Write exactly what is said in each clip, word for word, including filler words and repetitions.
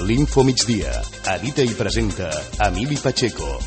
L'Info Migdia. Edita i presenta Emili Pacheco.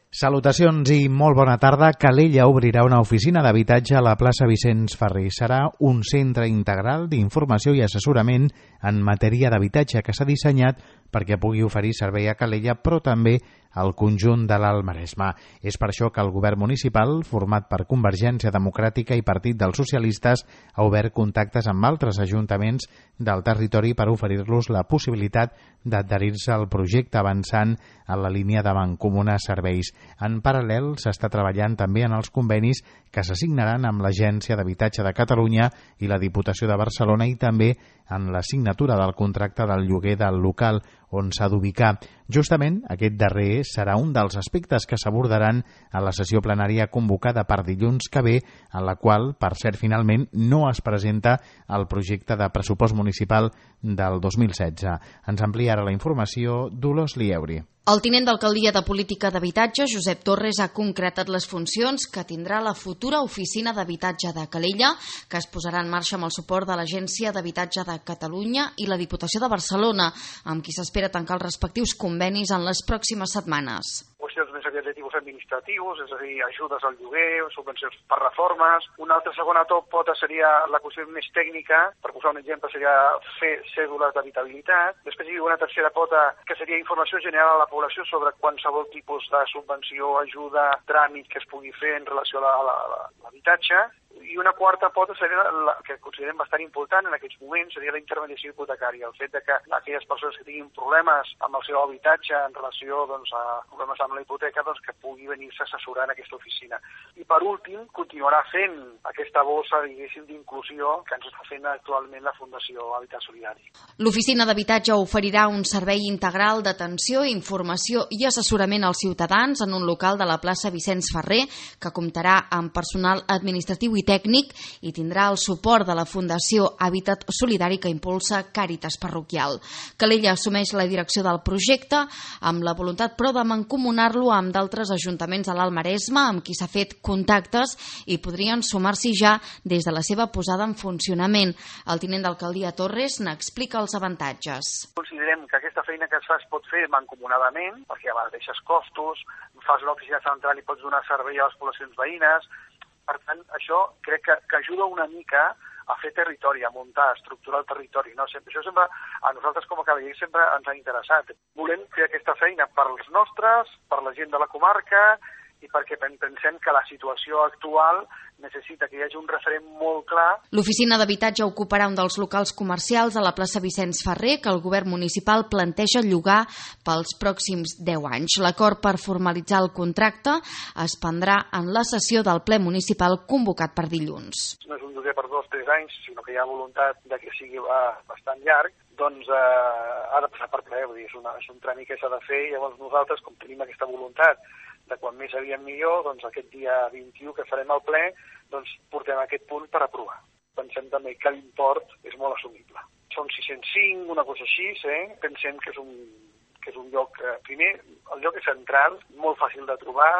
Salutacions i molt bona tarda. Calella obrirà una oficina d'habitatge a la plaça Vicenç Ferrer. Serà un centre integral d'informació i assessorament en matèria d'habitatge que s'ha dissenyat perquè pugui oferir servei a Calella, però també al conjunt de l'Alt Maresme. És per això que el govern municipal, format per Convergència Democràtica i Partit dels Socialistes, ha obert contactes amb altres ajuntaments del territori per oferir-los la possibilitat d'adherir-se al projecte, avançant en la línia de mancomunar serveis. En paral·lel, s'està treballant també en els convenis que s'assignaran amb l'Agència d'Habitatge de Catalunya i la Diputació de Barcelona i també en la signatura del contracte del lloguer del local on s'ha d'ubicar. Justament aquest darrer serà un dels aspectes que s'abordaran a la sessió plenària convocada per dilluns que ve, en la qual, per cert, finalment no es presenta el projecte de pressupost municipal del dos mil setze. Ens amplia ara la informació Dolors Lieuri. El tinent d'alcaldia de Política d'Habitatge, Josep Torres, ha concretat les funcions que tindrà la futura oficina d'habitatge de Calella, que es posarà en marxa amb el suport de l'Agència d'Habitatge de Catalunya i la Diputació de Barcelona, amb qui s'espera tancar els respectius convenis en les pròximes setmanes. Qüestions més aviat de tipus administratius, és a dir, ajudes al lloguer, subvencions per reformes. Una altra segona pota seria la qüestió més tècnica, per posar un exemple seria fer cèdules d'habitabilitat. Després hi ha una tercera pota que seria informació general a la població sobre qualsevol tipus de subvenció, ajuda, tràmit que es pugui fer en relació a l'habitatge. I una quarta pota seria la que considerem bastant important en aquests moments, seria la intermediació hipotecària, el fet de que aquelles persones que tinguin problemes amb el seu habitatge en relació doncs, a problemes amb la hipoteca, doncs, que pugui venir-se a assessorar en aquesta oficina. I per últim, continuarà fent aquesta bossa, diguéssim, d'inclusió que ens està fent actualment la Fundació Habitat Solidari. L'oficina d'habitatge oferirà un servei integral d'atenció, informació i assessorament als ciutadans en un local de la plaça Vicenç Ferrer, que comptarà amb personal administratiu i tècnic i tindrà el suport de la Fundació Habitat Solidari que impulsa Càritas Parroquial. Calella assumeix la direcció del projecte amb la voluntat però de mancomunar-lo amb d'altres ajuntaments de l'Alt Maresme amb qui s'ha fet contactes i podrien sumar-s'hi ja des de la seva posada en funcionament. El tinent d'alcaldia Torres n'explica els avantatges. Considerem que aquesta feina que es fa es pot fer mancomunadament perquè abaixes costos, fas una oficina central i pots donar servei a les poblacions veïnes. Per tant, això crec que, que ajuda una mica a fer territori, a muntar, a estructurar el territori. No? Sempre, això sempre, a nosaltres com a Calella sempre ens ha interessat. Volem fer aquesta feina per als nostres, per la gent de la comarca i perquè pensem que la situació actual necessita que hi hagi un referent molt clar. L'oficina d'habitatge ocuparà un dels locals comercials a la plaça Vicenç Ferrer que el govern municipal planteja llogar pels pròxims deu anys. L'acord per formalitzar el contracte es prendrà en la sessió del ple municipal convocat per dilluns. No és un lloguer per dos o tres anys, sinó que hi ha voluntat de que sigui bastant llarg, doncs eh, ha de passar per ple, vull dir, és, una, és un tràmit que s'ha de fer i llavors nosaltres, com tenim aquesta voluntat de quan més aviat millor, doncs aquest dia vint-i-u que farem el ple, doncs portem aquest punt per aprovar. Pensem també que l'import és molt assumible. Són sis-cents cinc, una cosa així, eh? Pensem que és un, que és un lloc, eh, primer, el lloc és central, molt fàcil de trobar.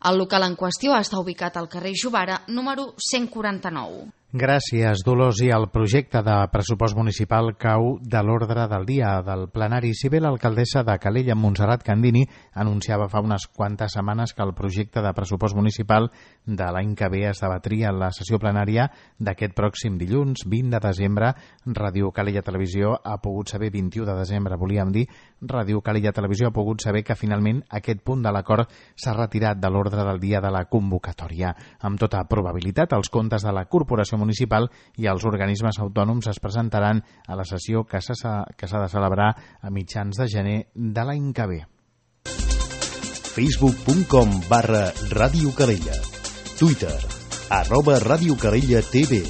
El local en qüestió està ubicat al carrer Jovara, número cent quaranta-nou. Gràcies, Dolors. I el projecte de pressupost municipal cau de l'ordre del dia del plenari. Si bé l'alcaldessa de Calella, Montserrat Candini, anunciava fa unes quantes setmanes que el projecte de pressupost municipal de l'any que ve es debatria en la sessió plenària d'aquest pròxim dilluns, vint de desembre, Ràdio Calella Televisió ha pogut saber, vint-i-u de desembre, volíem dir, Ràdio Calella Televisió ha pogut saber que finalment aquest punt de l'acord s'ha retirat de l'ordre del dia de la convocatòria. Amb tota probabilitat, els comptes de la Corporació Municipal i els organismes autònoms es presentaran a la sessió que s'ha que s'ha de celebrar a mitjans de gener de l'any que ve. facebook punt com barra Ràdio Calella. Twitter, arroba Ràdio Calella T V.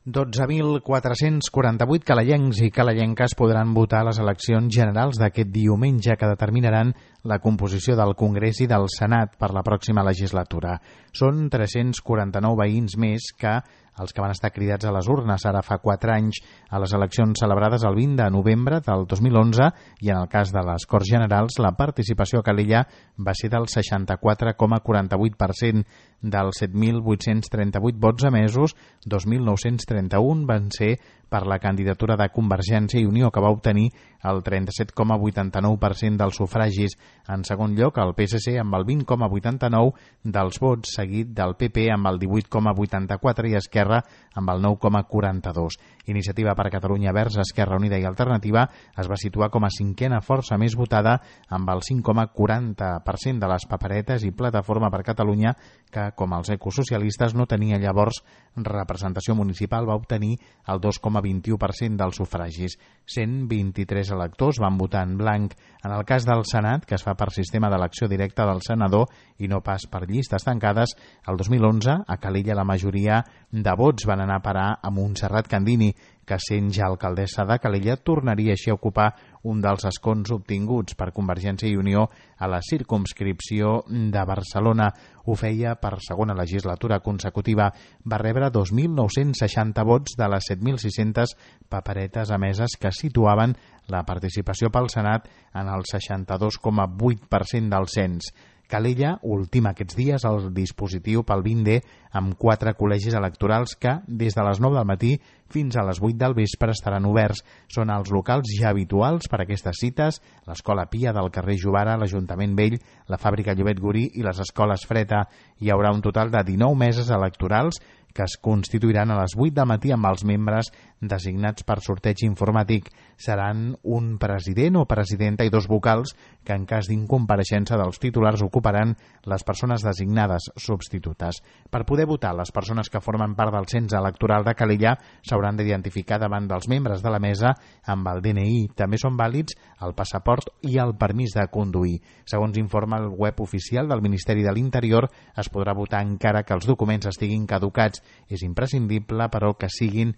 dotze mil quatre-cents quaranta-vuit calellencs i calellenques podran votar a les eleccions generals d'aquest diumenge que determinaran la composició del Congrés i del Senat per la pròxima legislatura. Són tres-cents quaranta-nou veïns més que els que van estar cridats a les urnes ara fa quatre anys a les eleccions celebrades el vint de novembre del dos mil onze, i en el cas de les Corts Generals la participació a Calella va ser del seixanta-quatre coma quaranta-vuit per cent. Dels set mil vuit-cents trenta-vuit vots emesos, dos mil nou-cents trenta-un van ser per la candidatura de Convergència i Unió, que va obtenir el trenta-set coma vuitanta-nou per cent dels sufragis. En segon lloc, el P S C amb el vint coma vuitanta-nou dels vots, seguit del P P amb el divuit coma vuitanta-quatre i Esquerra amb el nou coma quaranta-dos. Iniciativa per Catalunya Verds, Esquerra Unida i Alternativa es va situar com a cinquena força més votada amb el cinc coma quaranta per cent de les paperetes, i Plataforma per Catalunya, que com els ecosocialistes no tenia llavors representació municipal, va obtenir el dos coma vint-i-u per cent dels sufragis. cent vint-i-tres electors van votar en blanc. En el cas del Senat, que es fa per sistema d'elecció directa del senador i no pas per llistes tancades, el dos mil onze a Calella la majoria de vots van anar a parar a Montserrat Candini, que sent ja alcaldessa de Calella tornaria així a ocupar un dels escons obtinguts per Convergència i Unió a la circumscripció de Barcelona. Ho feia per segona legislatura consecutiva. Va rebre dos mil nou-cents seixanta vots de les set mil sis-centes paperetes emeses, que situaven la participació pel Senat en el seixanta-dos coma vuit per cent del cens. Calella ultima aquests dies el dispositiu pel vint D amb quatre col·legis electorals que, des de les nou del matí fins a les vuit del vespre, estaran oberts. Són els locals ja habituals per a aquestes cites: l'Escola Pia del carrer Jovara, l'Ajuntament Vell, la Fàbrica Llobet Gurí i les Escoles Freta. Hi haurà un total de dinou meses electorals que es constituiran a les vuit del matí amb els membres designats per sorteig informàtic. Seran un president o presidenta i dos vocals que, en cas d'incompareixença dels titulars, ocuparan les persones designades substitutes. Per poder votar, les persones que formen part del cens electoral de Calella s'hauran d'identificar davant dels membres de la mesa amb el D N I. També són vàlids el passaport i el permís de conduir. Segons informa el web oficial del Ministeri de l'Interior, es podrà votar encara que els documents estiguin caducats. És imprescindible, però, que siguin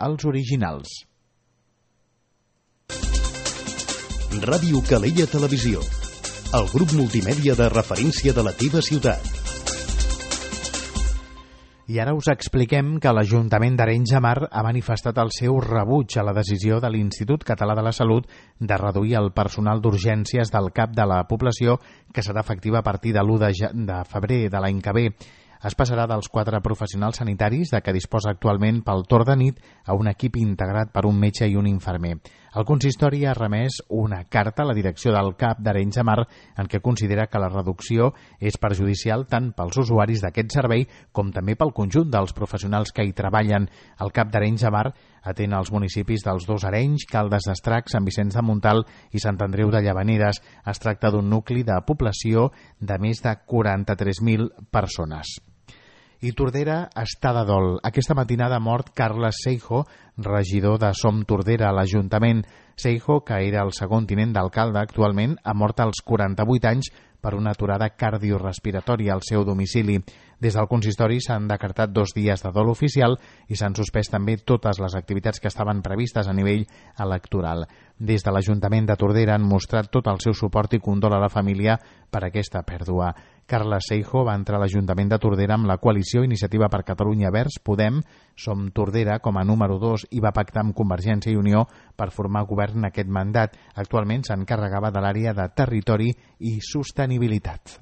els originals. Ràdio Calella Televisió, el grup multimèdia de referència de la teva ciutat. I ara us expliquem que l'Ajuntament d'Arenys de Mar ha manifestat el seu rebuig a la decisió de l'Institut Català de la Salut de reduir el personal d'urgències del cap de la població, que serà efectiva a partir de l'u de febrer de l'any que ve. Es passarà dels quatre professionals sanitaris de què disposa actualment pel torn de nit a un equip integrat per un metge i un infermer. El consistori ha remès una carta a la direcció del C A P d'Arenys de Mar en què considera que la reducció és perjudicial tant pels usuaris d'aquest servei com també pel conjunt dels professionals que hi treballen. El C A P d'Arenys de Mar atén els municipis dels dos Arenys, Caldes d'Estrac, Sant Vicenç de Montalt i Sant Andreu de Llavaneres. Es tracta d'un nucli de població de més de quaranta-tres mil persones. I Tordera està de dol. Aquesta matinada ha mort Carles Seijo, regidor de Som Tordera a l'Ajuntament. Seijo, que era el segon tinent d'alcalde actualment, ha mort als quaranta-vuit anys per una aturada cardiorespiratòria al seu domicili. Des del consistori s'han decretat dos dies de dol oficial i s'han suspès també totes les activitats que estaven previstes a nivell electoral. Des de l'Ajuntament de Tordera han mostrat tot el seu suport i condol a la família per aquesta pèrdua. Carles Seijo va entrar a l'Ajuntament de Tordera amb la coalició Iniciativa per Catalunya Verds Podem, Som Tordera, com a número dos, i va pactar amb Convergència i Unió per formar govern aquest mandat. Actualment s'encarregava de l'àrea de territori i sostenibilitat.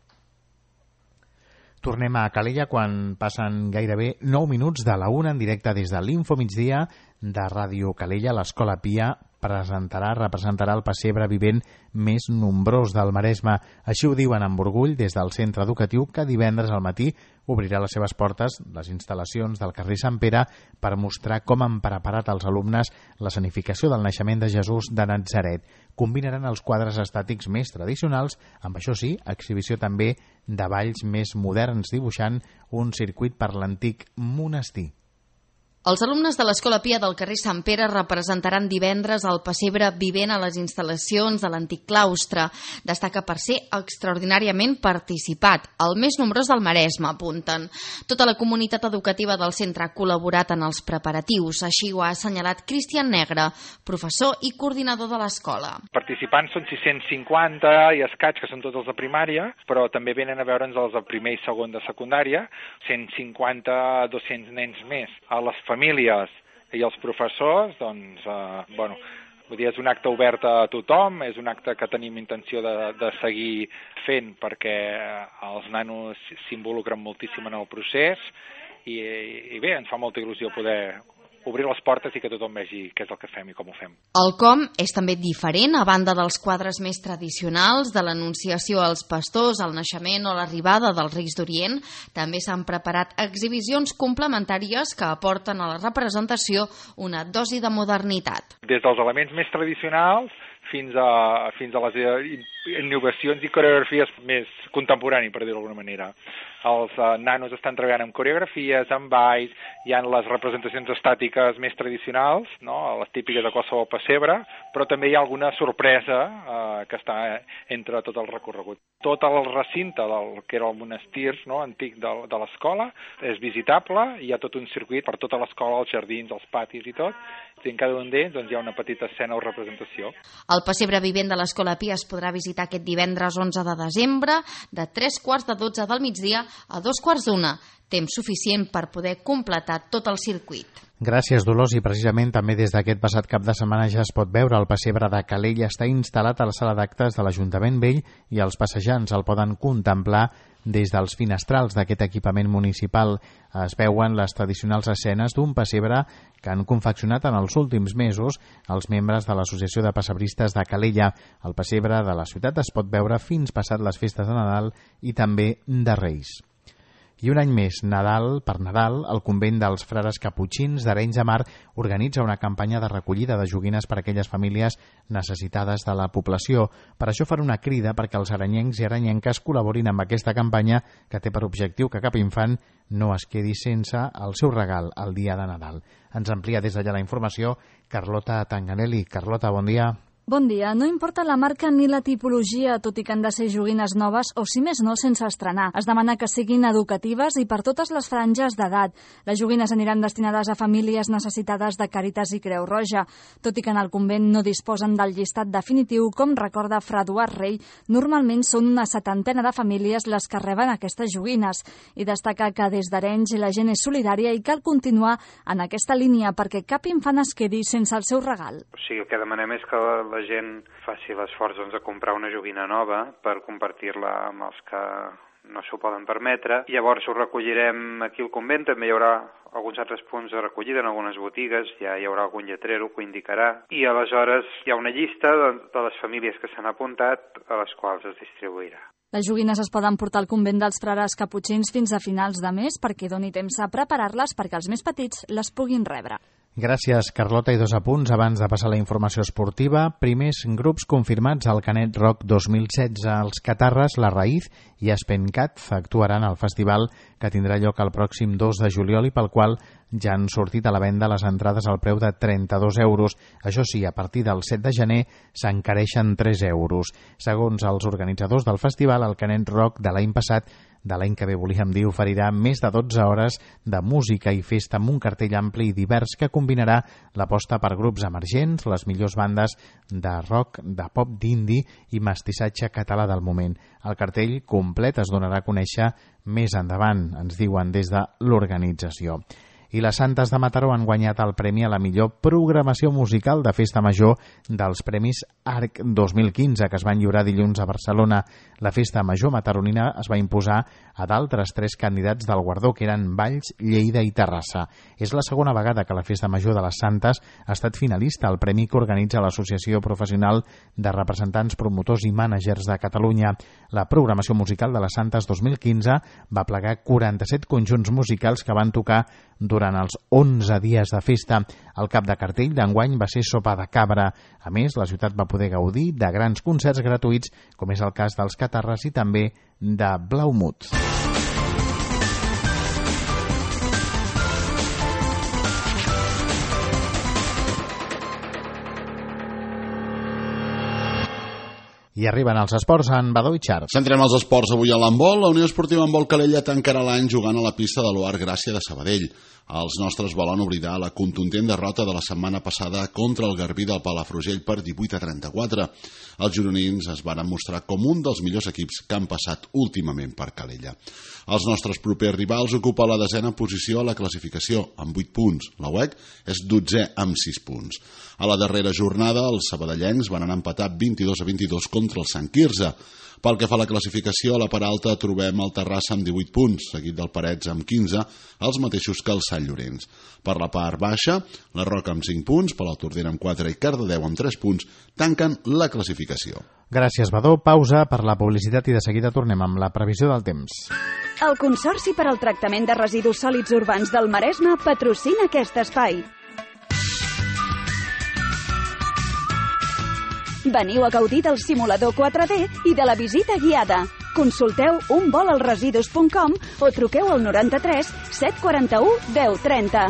Tornem a Calella quan passen gairebé nou minuts de la una en directe des de l'Info Migdia de Ràdio Calella. L'Escola Pia presentarà, representarà el pessebre vivent més nombrós del Maresme. Així ho diuen amb orgull des del centre educatiu, que divendres al matí obrirà les seves portes, les instal·lacions del carrer Sant Pere, per mostrar com han preparat els alumnes l'escenificació del naixement de Jesús de Natzaret. Combinaran els quadres estàtics més tradicionals amb, això sí, exhibició també de balls més moderns, dibuixant un circuit per l'antic monestir. Els alumnes de l'Escola Pia del carrer Sant Pere representaran divendres el pessebre vivent a les instal·lacions de l'antic claustre. Destaca per ser extraordinàriament participat, el més nombrós del Maresme, apunten. Tota la comunitat educativa del centre ha col·laborat en els preparatius, així ho ha assenyalat Cristian Negre, professor i coordinador de l'escola. Participants són sis-cents cinquanta i escaig, que són tots els de primària, però també venen a veure'ns els de primer i segon de secundària, cent cinquanta a dos-cents nens més. A les famílies i els professors, doncs, eh, bueno, vull dir, és un acte obert a tothom, és un acte que tenim intenció de, de seguir fent perquè els nanos s'involucren moltíssim en el procés i, i bé, ens fa molta il·lusió poder obrir les portes i que tothom vegi què és el que fem i com ho fem. El com és també diferent, a banda dels quadres més tradicionals, de l'anunciació als pastors, el naixement o l'arribada dels Reis d'Orient, també s'han preparat exhibicions complementàries que aporten a la representació una dosi de modernitat. Des dels elements més tradicionals fins a, fins a les innovacions i coreografies més contemporànies, per dir-ho d'alguna manera. Els uh, nanos estan treballant amb coreografies, amb balls, hi ha les representacions estàtiques més tradicionals, no? Les típiques de qualsevol pessebre, però també hi ha alguna sorpresa uh, que està entre tot el recorregut. Tot el recinte del que era el monestir, no? Antic de, de l'escola és visitable, hi ha tot un circuit per tota l'escola, els jardins, els patis i tot, i en cada un d'ells doncs, hi ha una petita escena o representació. El pessebre vivent de l'Escola Pia es podrà visitar aquest divendres onze de desembre de tres quarts de dotze del migdia a dos quarts d'una, temps suficient per poder completar tot el circuit. Gràcies, Dolors, i precisament també des d'aquest passat cap de setmana ja es pot veure el pessebre de Calella. Està instal·lat a la sala d'actes de l'Ajuntament Vell i els passejants el poden contemplar des dels finestrals d'aquest equipament municipal. Es veuen les tradicionals escenes d'un pessebre que han confeccionat en els últims mesos els membres de l'Associació de Pessebristes de Calella. El pessebre de la ciutat es pot veure fins passat les festes de Nadal i també de Reis. I un any més, Nadal per Nadal, el convent dels frares caputxins d'Arenys de Mar organitza una campanya de recollida de joguines per a aquelles famílies necessitades de la població. Per això farà una crida perquè els arenyencs i arenyenques col·laborin amb aquesta campanya que té per objectiu que cap infant no es quedi sense el seu regal el dia de Nadal. Ens amplia des d'allà la informació Carlota Tanganelli. Carlota, bon dia. Bon dia. No importa la marca ni la tipologia, tot i que han de ser joguines noves o, si més no, sense estrenar. Es demana que siguin educatives i per totes les franges d'edat. Les joguines aniran destinades a famílies necessitades de Càritas i Creu Roja. Tot i que en el convent no disposen del llistat definitiu, com recorda Fra Eduard Rey, normalment són una setantena de famílies les que reben aquestes joguines. I destaca que des d'Arenys la gent és solidària i cal continuar en aquesta línia perquè cap infant es quedi sense el seu regal. O sigui, el que demanem és que la la gent faci l'esforç doncs, de comprar una joguina nova per compartir-la amb els que no s'ho poden permetre. Llavors ho recollirem aquí al convent, també hi haurà alguns altres punts de recollida en algunes botigues, ja hi haurà algun lletrero que ho indicarà, i aleshores hi ha una llista de, de les famílies que s'han apuntat a les quals es distribuirà. Les joguines es poden portar al convent dels frares caputxins fins a finals de mes perquè doni temps a preparar-les perquè els més petits les puguin rebre. Gràcies, Carlota. I dos apunts abans de passar a la informació esportiva. Primers grups confirmats al Canet Rock dos mil setze. Els Catarres, La Raïz i Espencat actuaran al festival que tindrà lloc el pròxim dos de juliol i pel qual ja han sortit a la venda les entrades al preu de trenta-dos euros. Això sí, a partir del set de gener s'encareixen tres euros. Segons els organitzadors del festival, el Canet Rock de l'any passat, de l'any que ve volíem dir, oferirà més de dotze hores de música i festa amb un cartell ampli i divers que combinarà l'aposta per grups emergents, les millors bandes de rock, de pop, d'indie i mestissatge català del moment. El cartell complet es donarà a conèixer més endavant, ens diuen des de l'organització. I les Santes de Mataró han guanyat el premi a la millor programació musical de Festa Major dels Premis Arc dos mil quinze, que es van lliurar dilluns a Barcelona. La Festa Major mataronina es va imposar a d'altres tres candidats del guardó, que eren Valls, Lleida i Terrassa. És la segona vegada que la Festa Major de les Santes ha estat finalista al premi que organitza l'Associació Professional de Representants, Promotors i Mànagers de Catalunya. La programació musical de les Santes dos mil quinze va plegar quaranta-set conjunts musicals que van tocar durant els onze dies de festa. El cap de cartell d'enguany va ser Sopa de Cabra. A més, la ciutat va poder gaudir de grans concerts gratuïts, com és el cas dels Catarres i també de Blaumut. I arriben els esports en Badó i Xarx. Centrem els esports avui a l'handbol. La Unió Esportiva Handbol Calella tancarà l'any jugant a la pista de l'Oar Gràcia de Sabadell. Els nostres volen oblidar la contundent derrota de la setmana passada contra el Garbí del Palafrugell per divuit a trenta-quatre. Els gironins es van mostrar com un dels millors equips que han passat últimament per Calella. Els nostres propers rivals ocupen la desena posició a la classificació, amb vuit punts. La U E C és dotzè amb sis punts. A la darrera jornada, els sabadellencs van anar a empatar vint-i-dos a vint-i-dos contra el Sant Quirze. Pel que fa a la classificació, a la part alta trobem el Terrassa amb divuit punts, seguit del Parets amb quinze, els mateixos que el Sant Llorenç. Per la part baixa, la Roca amb cinc punts, Palautordera amb quatre i Cardedeu amb tres punts tanquen la classificació. Gràcies, Badó. Pausa per la publicitat i de seguida tornem amb la previsió del temps. El Consorci per al Tractament de Residus Sòlids Urbans del Maresme patrocina aquest espai. Veniu a gaudir del simulador quatre D i de la visita guiada. Consulteu un vol als residus punt com o truqueu al noranta-tres set quaranta-u deu trenta.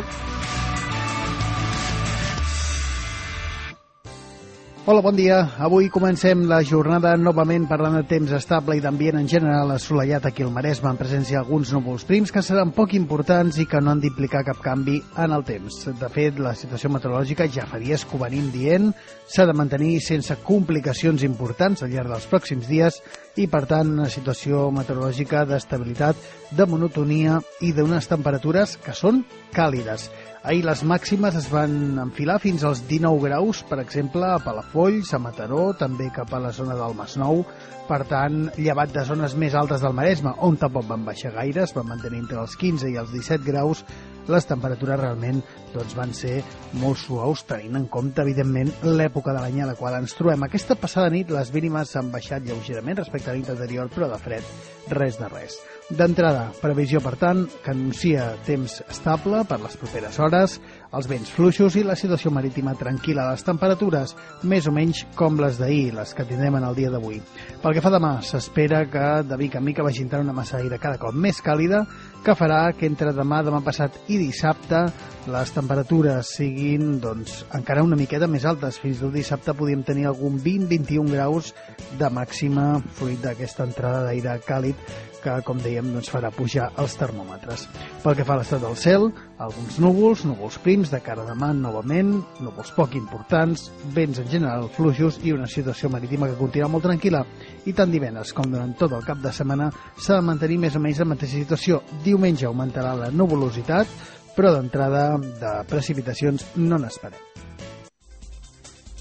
Hola, bon dia. Avui comencem la jornada novament parlant de temps estable i d'ambient en general assolellat aquí al Maresme, en presència d'alguns núvols prims que seran poc importants i que no han d'implicar cap canvi en el temps. De fet, la situació meteorològica ja fa dies que ho venim dient, s'ha de mantenir sense complicacions importants al llarg dels pròxims dies i, per tant, una situació meteorològica d'estabilitat, de monotonia i d'unes temperatures que són càlides. Ahir les màximes es van enfilar fins als dinou graus, per exemple, a Palafolls, a Mataró, també cap a la zona del Masnou. Per tant, llevat de zones més altes del Maresme, on tampoc van baixar gaire, es van mantenir entre els quinze i els disset graus, les temperatures realment doncs, van ser molt suaus, tenint en compte, evidentment, l'època de l'any a la qual ens trobem. Aquesta passada nit les mínimes han baixat lleugerament respecte a la nit anterior, però de fred, res de res. D'entrada, previsió, per tant, que anuncia temps estable per les properes hores, els vents fluixos i la situació marítima tranquil·la. Les temperatures més o menys com les d'ahir, les que tindrem en el dia d'avui. Pel que fa demà, s'espera que de mica en mica vagi entrant una massa d'aire cada cop més càlida, que farà que entre demà, demà passat i dissabte les temperatures siguin doncs, encara una miqueta més altes. Fins al dissabte podríem tenir algun vint a vint-i-un graus de màxima fruit d'aquesta entrada d'aire càlid que, com dèiem, doncs, farà pujar els termòmetres. Pel que fa a l'estat del cel, alguns núvols, núvols prims de cara a demà novament, núvols poc importants, vents en general fluixos i una situació marítima que continua molt tranquil·la. I tant divendres com durant tot el cap de setmana s'ha de mantenir més o menys la mateixa situació. Diumenge augmentarà la nuvolositat, però d'entrada de precipitacions no n'esperem.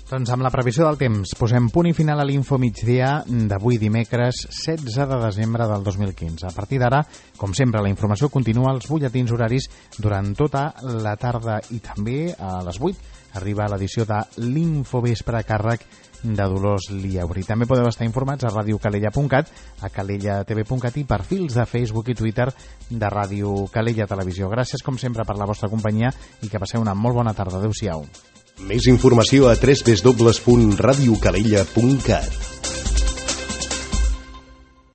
Doncs amb la previsió del temps posem punt i final a l'info migdia d'avui dimecres setze de desembre del dos mil quinze. A partir d'ara, com sempre, la informació continua als butlletins horaris durant tota la tarda i també a les vuit arriba l'edició de l'Infovespre a càrrec de Dolors Liauri. També podeu estar informats a ràdio calella punt cat, a calella t v punt cat i perfils de Facebook i Twitter de Ràdio Calella Televisió. Gràcies, com sempre, per la vostra companyia i que passeu una molt bona tarda. Adéu-siau. Més informació a w w w punt ràdio calella punt cat.